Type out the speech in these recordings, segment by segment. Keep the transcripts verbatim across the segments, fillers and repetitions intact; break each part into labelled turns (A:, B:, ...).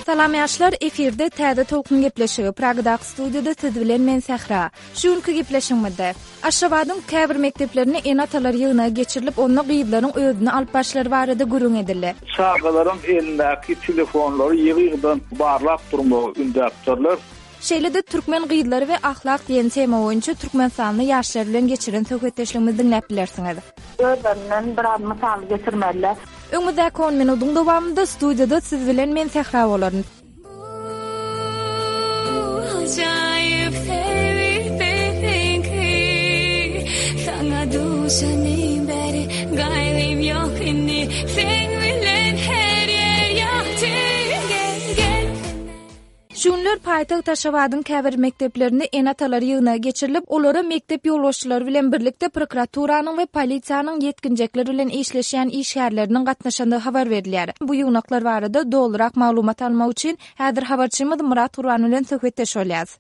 A: Salam ýaşlar, efirde Täze Tolkun gepleşigi, Pragadaky studiýada siz bilen men Sähra. Şu günki gepleşigimizde Aşgabadyň käbir mekdeplerinde ene-atalar ýygnagy geçirilip, onda gyzlaryň özüni alyp barşlary barada gürrüň edildi.
B: Çagalaryň elindäki telefonlary ýygy-ýygydan barlap durmagy ündäpdirler.
A: Şeýle-de Türkmen gyzlary we ahlak diýen tema boýunça türkmenistanly ýaşlar bilen geçiren söhbetdeşligimizi diňläp bilersiňiz.
C: Özlerinden biraz mysal getirmeliler.
A: Öňümizdäki on minudyň dowamynda studiýada siz bilen men Sähra bolaryn.
D: Ajaýyp sebit biziňki, saňa duşanym bäri gaýgym ýok indi, seň bilen her ýer ýagty, gel, gel.
A: Şu günler paýtagt Aşgabadyň käbir mekdeplerinde ene-atalar ýygnagy geçirilip, olara mekdep ýolbaşçylary bilen birlikde prokuraturanyň we polisiýanyň ýetginjekler bilen işleşýän işgärleriniň gatnaşandygy habar berilýär. Bu ýygnaklar barada dolurak maglumat almak üçin häzir habarçymyz Myrat Gurban bilen söhbetdeş bolýarys.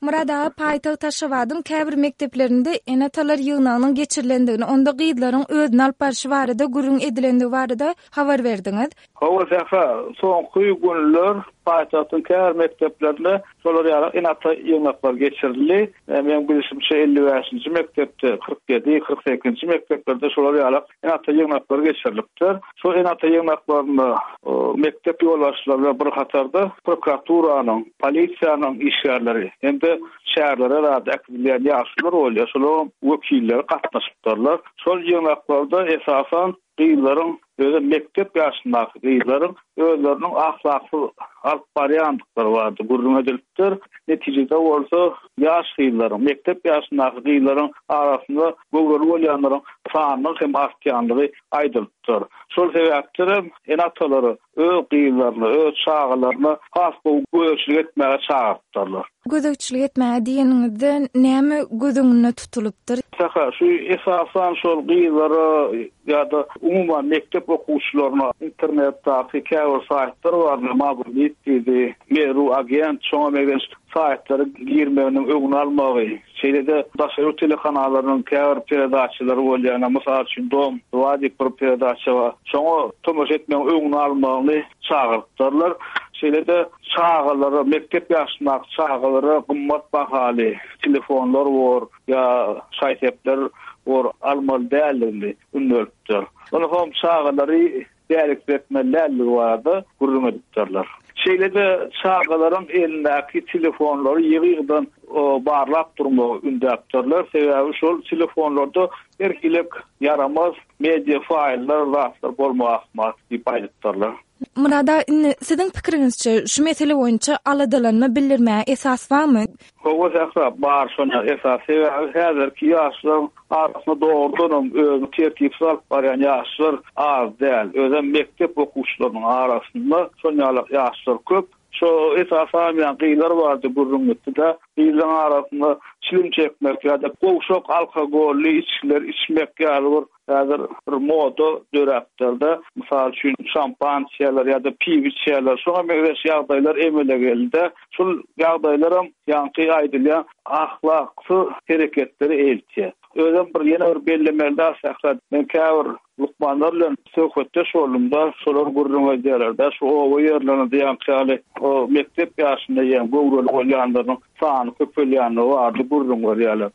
A: Myrat aga, paýtagt Aşgabadyň käbir mekdeplerinde ene-atalar ýygnagynyň geçirilendigini, onda gyzlaryň özüni alyp barşy barada gürrüň edilendigi barada habar berdiňiz.
B: Hawa, Sähra, soňky günler paýtagtyň käbir mekdeplerinde şolar ýaly ene-ata ýygnaklary geçirildi. E, meň bilişimçe elli bäşinji mekdepde, kyrk ýedi, kyrk sekizinji mekdeplerde şolar ýaly ene-ata ýygnaklary geçirilipdir. Şol ene-ata ýygnaklarynda, o, mekdep ýolbaşçylary bilen bir hatarda prokuraturanyň, polisiýanyň işgärleri hem-de şäherlere zat äkidilýän ýaşlar bolýar, şolaryň wekilleri gatnaşypdyrlar. Şol ýygnaklarda esasan gyzlaryň, özi mekdep ýaşyndaky gyzlaryň özleriniň ahlaksyz alyp barýandyklary bardy, gürrüň edilipdir. Netijede bolsa ýaş gyzlaryň, mekdep ýaşyndaky gyzlaryň arasynda göwreli bolýanlaryň sanynyň hem artýandygy aýdylypdyr. Şol sebäpden hem ene-atalary öz gyzlaryna, öz çagalaryna has gowy gözegçilik etmäge çagyrypdyrlar.
A: Gözegçilik etmäge diýeniňizde näme göz öňünde tutulypdyr?
B: Sähra, şu esasan şol gyzlara ýa-da umuman mekdep okuwçylaryna internetdäki käbir saýtlar bar, Mabul diýdi, Meru agent, şoňa meňzeş saýtlara girmeginiň öňüni almagy, şeýle-de daşary ýurt telekanallarynyň käbir peredaçalary bolýar, mysal üçin Dom dva diýip bir peredaça bar. Şoňa tomaşa etmegiň öňüni almagyny çagyrypdyrlar. Şeýle-de çagalara, mekdep ýaşyndaky çagalara gymmat bahaly telefonlar bor ýa şaý-sepler bor almaly däldigini ündelipdir. Onsoň hem çagalary dälik etmeli däldigi barada gürrüň edipdirler. Şeýle-de çagalaryň elindäki telefonlary ýygy-ýygydan, o, barlap durmagy ündäpdirler. Sebäbi şol telefonlarda her hili ýaramaz media faýllar, zatlar bolmagy ahmal diýip aýdypdyrlar.
A: Murada, indi siziň pikiriňizçe şu mesele boýunça aladalanma bildirmäge esas barmy?
B: Hawa, Sähra, bar şoňa esas. Sebäbi häzirki ýaşlaryň arasynda dogrudan hem özüni tertipsiz alyp barýan ýaşlar az däl. Özem mekdep okuwçylarynyň arasynda şoň ýaly ýaşlar köp. Şo esasan ýa gyzlar bardy gürrüň etdi-de, gyzlaryň arasynda çilim çekmek ýa-da gowşak alkogolly içgiler içmek ýaly bir häzir bir moda döräpdir-de. Mysal üçin şampan içýärler ýa-da piw içýärler. Şoňa meňzeş ýagdaýlar emele geldi. Şul ýagdaýlaram ýaňky aýdylýan ahlaksyz hereketleri eltýär. Özem bir ýene bir bellemeli da Sähra, men käbir lukmanlar bilen söhbetdeş boldum-da, şolar gürrüň edýärler-de, şu oba ýerlerinde ýaňky ýaly o mekdep ýaşynda ýa göwreli bolýanlaryň sany köpelýänligi bardy gürrüň berýärler.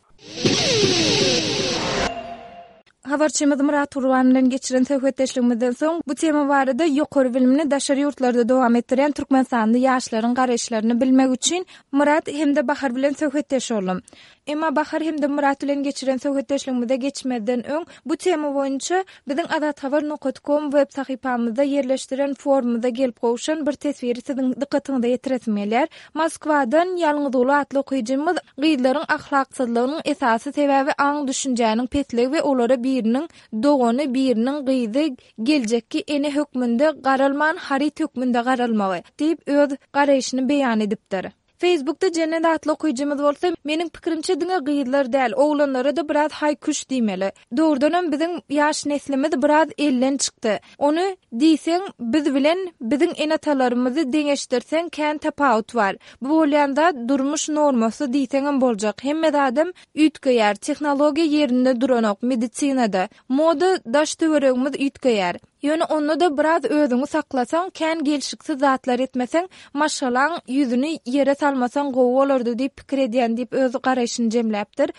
A: Habarçymyz Myrat Gurban bilen geçiren söhbetdeşligimizden soň bu tema barada ýokary bilimini daşary ýurtlarda dowam etdirýän Türkmenistanly ýaşlaryň garaýyşlaryny bilmek üçin Myrat hem-de Bahar bilen söhbetdeş boldum. Emma Bahar hem-de Myrat bilen geçiren söhbetdeşligimize geçmezden öň bu tema boýunça biziň azathabar nokta com web sahypamyzda ýerleşdiren forumymyza gelip gowşan bir teswiri siziň dykgatyňyza ýetiresim gelýär. Moskwadan Ýalňyzguly atly okyjymyz gyzlaryň ahlaksyzlygynyň esasy sebäbi aň düşünjäniň pesligi we olara biriniň dogany, biriniň gyzy geljekki ene hökmünde garalman, haryt hökmünde garalmagy diýip öz garaýşyny beýan edipdir. Facebookda Jennet atly okyjymyz bolsa, meniň pikirimçe diňe gyzlar däl, oglanlara-da biraz haý-küş diýmeli. Dogrudanam biziň ýaş neslimiz biraz elden çykdy. Ony diýseň, biz bilen biziň ene-atalarymyzy deňeşdirseň kän tapawut bar. Bu bolýan zat durmuş normasy diýseňem boljak. Hemme zadam üýtgeýär, tehnologiýa ýerinde duranok, medisinada, moda daş töweregimiz üýtgeýär. Ýöne onda-da biraz özüňi saklasaň, kän gelşiksiz zatlar etmeseň, maşgalaň ýüzüni ýere salmasaň gowy bolardy diýip pikir edýän diýip öz garaýşyny jemläpdir.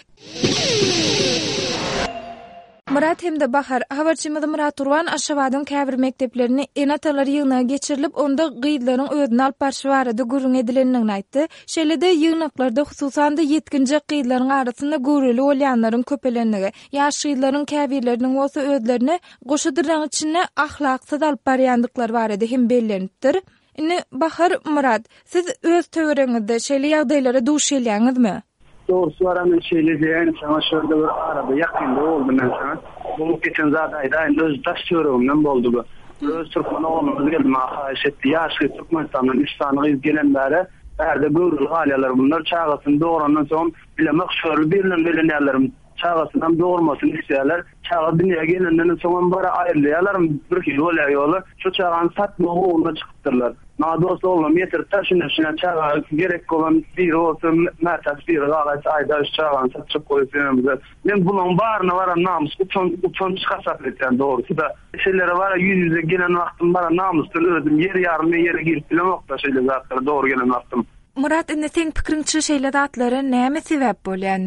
A: Myrat hem-de Bahar, habarçymyz Myrat Gurban Aşgabadyň käbir mekdeplerinde ene-atalar ýygnagy geçirilip, onda gyzlaryň özüni alyp barşy barada gürrüň edilendigini aýtdy. Şeýle-de ýygnaklarda hususan-da ýetginjek gyzlaryň arasynda göwreli bolýanlaryň köpelendigi, ýaş gyzlaryň käbirleriniň bolsa özlerini goşa dyrnagyň içinde ahlaksyz alyp barýandyklary barada hem bellenipdir. Indi Bahar, Myrat, siz öz töweregiňizde şeýle ýagdaýlara duş gelýäňizmi?
E: Doğrusu var hemen şeýle diýen, sana şurada bir arada ýakynda boldy men sana. Bu geçen zat aýdaýyn, öz daş töweregimden boldy bu. Öz türkmen oglumyz geldi, maňa haýyş etdi. Ýaş gyz Türkmenistandan üç sany gyz gelen bäri, bärde göwreli galýarlar. Bunlar çagasyny dograndan soň bilemek şörli birinden belenýärler. Çagasyndan dogurmasyny isleýärler. Çaga dünýä gelenden soň bara aýrylýarlar, bir hil bolýar ýoly. Şu çagany satmak ugruna çykypdyrlar. Maňa dost oglum ýetirip taşyny şuna çaga gerek bolan biri bolsa, mätäç biri galaýsa aýda şu çagany satjak goýup ýöremize. Men bunuň baryna baran namys utan utanç hasap etýän dogrusy da. Şeýlere bara ýüz ýüze gelen wagtym bara namysdan özüm ýer ýarym ýere girip bilemok da şeýle zatlara dogry gelen wagtym.
A: Myrat, indi seň pikiriňçe şeýle zatlara näme sebäp bolýar?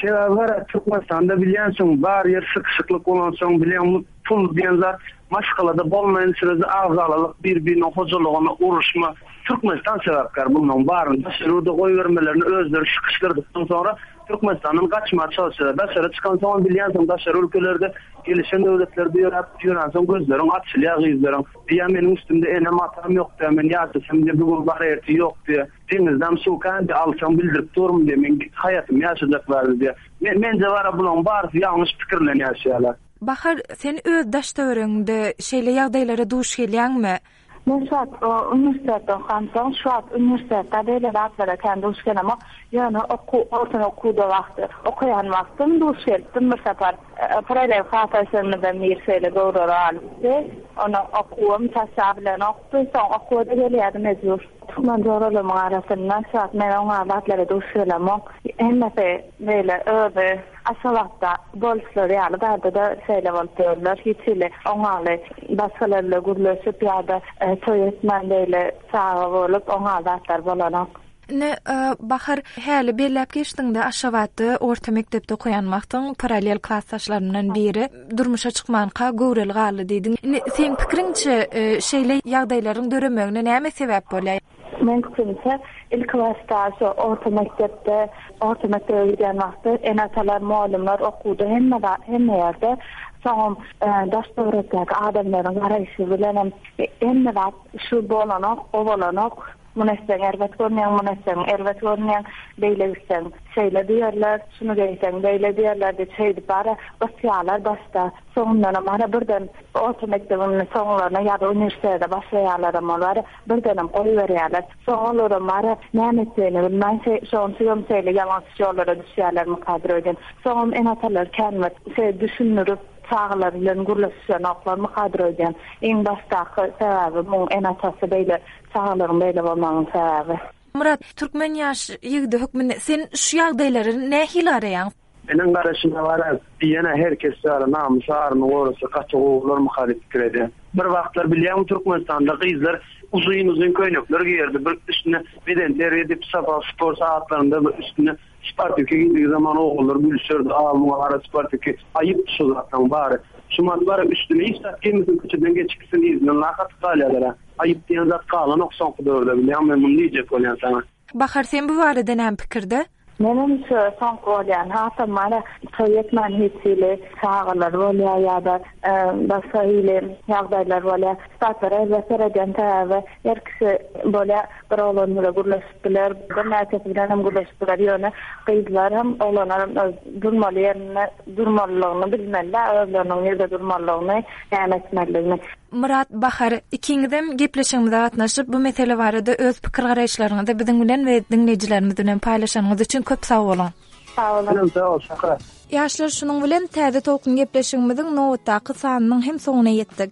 E: Sebäbi var, Türkmenistanda bilýänsiň, bar ýer sıkışıklyk bolansoň bilýän pul diýen zat maşgalada bolmaýan sürece agzalalyk bir-birine hojalygyna uruşma. Türkmenistan sebäpkär bundan baryny daşary ýurda goýbermelerini özleri sıkışdyrdıkdan sonra Türkmenistandan gaçmağa çalışýar. Daşary çykan soň bilýänsiň, daşary ülkelerde gelişen döwletlerde ýöräp ýörensoň gözleriň açylýar gyzlaryň. Diýä meniň üstümde enem atam ýok diýä, men ýaşasam diýä, bugün bar erti ýok diýä. Deňizden suw kändi alsam bildirip durum diýä, men haýatym ýaşajaklar diýä. Men mence bara bulan barysy ýalňyş pikirlen ýaşaýarlar.
A: Bahar, sen öz daş töweregiňde şeýle ýagdaýlara duş gelýäňmi?
C: Men şu wagt, o, uniwersitetde okamsoň, şu wagt uniwersitetde beýle zatlara kän duş gelemok. Ýöne oku, orta okuwda wagty, okaýan wagtym duş gelipdim bir sapar. E, paralel klasdaşlarymyzdan bir şeýle göwreli alypdy. Ona okuwym taşla bilen okdy, soň okuwa-da gelýärdi mejbur. Türkmen joralarymyň arasynda şu wagt men oňa zatlara duş gelemok. Hemmesi beýle özi Aşgabatda boluşlary ýaly bardy-da şeýle bolup ýörler. Hiç hili oňaly başgalarla gürleşip ýa-da, e, toý etmän beýle çaga bolup oňa zatlar bolanok.
A: Ne, e, Bahar, häli belläp geçdiňde Aşgabatda orta mekdepde okaýan wagtyň paralel klasdaşlarymdan biri durmuşa çykmanka göwreli galdy diýdiň. Indi seň pikiriňçe, e, şeýle ýagdaýlaryň döremegine näme sebäp bolýar?
C: Men pikrimçe ilk başda şu orta mekdepde, orta mekdebe gidýän wagty ene-atalar, muallimler okuwda hemme za-, hemme ýerde, soňam, e, daş töwerekdäki adamlaryň garaýşy bilenem hemme zat şu bolanok, o bolanok. Muny etseň erbet görünýän, muny etseň erbet görünýän, beýle gitseň şeýle diýerler, şuny geýseň beýle diýerler diýip şeýdip bara gysýarlar başda. Soňundanam bara birden orta mekdebiň soňlaryna ýa-da uniwersitete başlaýarlar hem olar, birdenem goýberýärler. Soň olaram bara näme etjegini bilmän, şe-, şoň üçin şeýle ýalňyş ýollara düşýärler mukadyr öýden. Soňam ene-atalar känme şeý düşündirip çagalar bilen gürleşenoklar mukadyr öýden. Iň başdaky sebäbi muň ene-atasy beýle çagalaryň beýle bolmagynyň sebäbi.
A: Murat, türkmen ýaş ýigidi hökmünde sen şu ýagdaýlary nähili araýaň?
E: Meniň garaşyma bara diýene her kes ýaly namys aryny gorasa gaty gowy bolar diýip pikir edýän. Bir wagtlar bilýäňmi Türkmenistanda gyzlar uzyn uzyn köýnekler giýerdi. Bir üstüne beden terbiýe edip sabah spor saatlarynda bir üstüne sportiki giydiği zaman oğullar gülüşerdi. Aa, muňa gara sportiki aýyp şu zatlaryň bary. Şu mat bara üstüne hiç zat giýmesin, köçeden geçip gitsin, yzyndan lak atyp galýarlar ha. Aýyp diýen zat galanok soňky döwürde bilýäňmi, men muny diýjek bolýan sana.
A: Bahar, sen bu barada näme pikirde?
C: Menem şu soňky bolýan hasam mana toý etmän hiç hili çagalar bolýar ýa-da başga hili ýagdaýlar bolýar. Zatlara elbet seredýän sebäbi her kişi bolýar bir oglan bilen gürleşip biler, birnäçesi bilen hem gürleşip biler ýöne gyzlar hem oglanlar hem öz durmaly ýerinde durmalylygyny bilmeliler, özleriniň nirde durmalylygyny, näme etmelidigini.
A: Myrat Bahar, ikiňizem gepleşigimize gatnaşyp, bu mesele barada öz pikir garaýyşlaryňyzy biziň bilen we diňleýjilerimiz bilen paýlaşanyňyz üçin köp sag boluň.
C: Sag boluň.
E: Sag bol, Şöhrat.
A: Ýaşlar şunuň bilen Täze Tolkun gepleşigimiziň nobatdaky sanynyň hem soňuna ýetdik.